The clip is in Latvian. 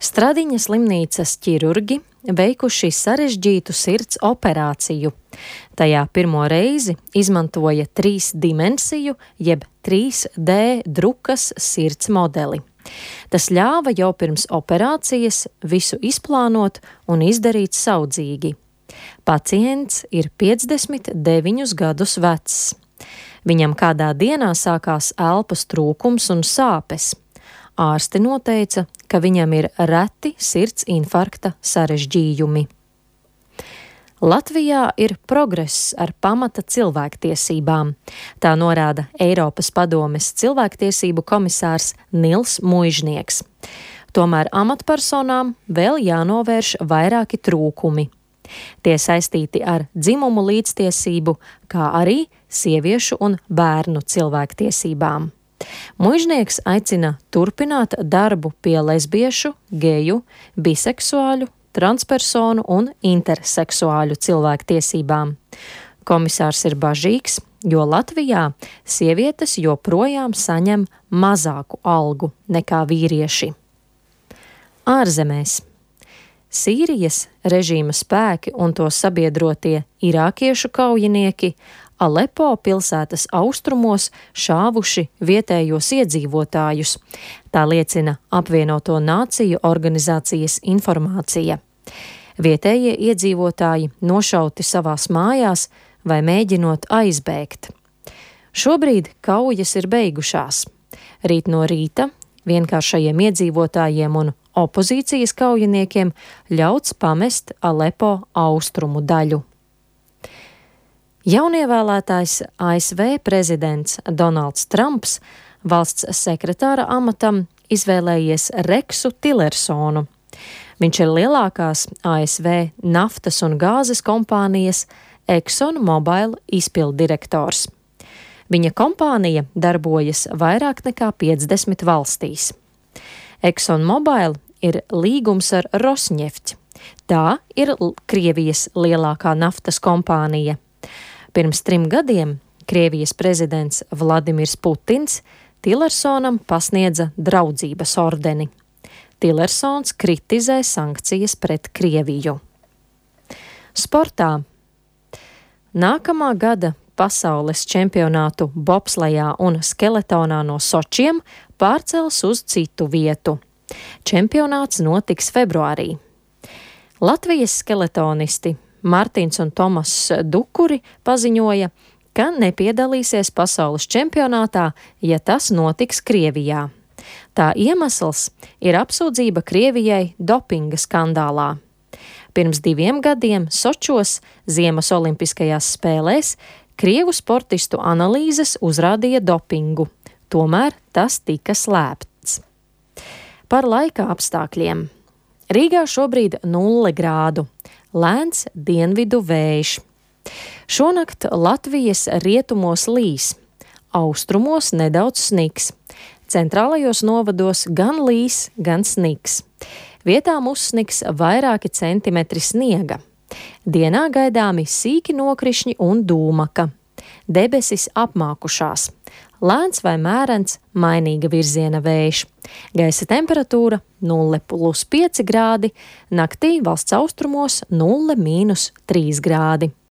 Stradiņa slimnīcas ķirurgi veikuši sarežģītu sirds operāciju. Tajā pirmo reizi izmantoja 3-dimensiju jeb 3D drukas sirds modeli. Tas ļāva jau pirms operācijas visu izplānot un izdarīt saudzīgi. Pacients ir 59 gadus vecs. Viņam kādā dienā sākās elpas trūkums un sāpes. Ārsti noteica, ka viņam ir reti sirds infarkta sarežģījumi. Latvijā ir progress ar pamata cilvēktiesībām. Tā norāda Eiropas padomes cilvēktiesību komisārs Nils Muižnieks. Tomēr amatpersonām vēl jānovērš vairāki trūkumi. Tie saistīti ar dzimumu līdztiesību, kā arī sieviešu un bērnu cilvēktiesībām. Muižnieks aicina turpināt darbu pie lesbiešu, geju, biseksuāļu, transpersonu un interseksuāļu cilvēktiesībām. Komisārs ir bažīgs, jo Latvijā sievietes joprojām saņem mazāku algu nekā vīrieši. Ārzemēs. Sīrijas režīma spēki un to sabiedrotie irākiešu kaujinieki Alepo pilsētas austrumos šāvuši vietējos iedzīvotājus. Tā liecina Apvienoto Nāciju organizācijas informācija. Vietējie iedzīvotāji nošauti savās mājās vai mēģinot aizbēgt. Šobrīd kaujas ir beigušās. Rīt no rīta vienkāršajiem iedzīvotājiem un opozīcijas kaujiniekiem ļauts pamest Alepo austrumu daļu. Jaunievēlētais ASV prezidents Donalds Trumps valsts sekretāra amatam izvēlējies Reksu Tillersonu. Viņš ir lielākās ASV naftas un gāzes kompānijas ExxonMobil izpilddirektors. Viņa kompānija darbojas vairāk nekā 50 valstīs. ExxonMobil ir līgums ar Rosneft. Tā ir Krievijas lielākā naftas kompānija. Pirms 3 gadiem Krievijas prezidents Vladimirs Putins Tillersonam pasniedza draudzības ordeni. Tillersons kritizē sankcijas pret Krieviju. Sportā. Nākamā gada pasaules čempionātu bobslejā un skeletonā no Sočiem pārcels uz citu vietu. Čempionāts notiks februārī. Latvijas skeletonisti Martins un Tomas Dukuri paziņoja, ka nepiedalīsies pasaules čempionātā, ja tas notiks Krievijā. Tā iemesls ir apsūdzība Krievijai dopinga skandālā. Pirms 2 gadiem Sočos ziemas olimpiskajās spēlēs krievu sportistu analīzes uzrādīja dopingu, tomēr tas tika slēpts. Par laika apstākļiem. Rīgā šobrīd 0 grādu. Lēns dienvidu vējš. Šonakt Latvijas rietumos līs, austrumos nedaudz sniks. Centrālajos novados gan līs, gan sniks. Vietām uzsniks vairāki centimetri sniega. Dienā gaidāmi sīki nokrišņi un dūmaka. Debesis apmākušās. Lēns vai mērens, mainīga virziena vējš. Gaisa temperatūra 0+5 grādi, naktī valsts austrumos 0–3 grādi.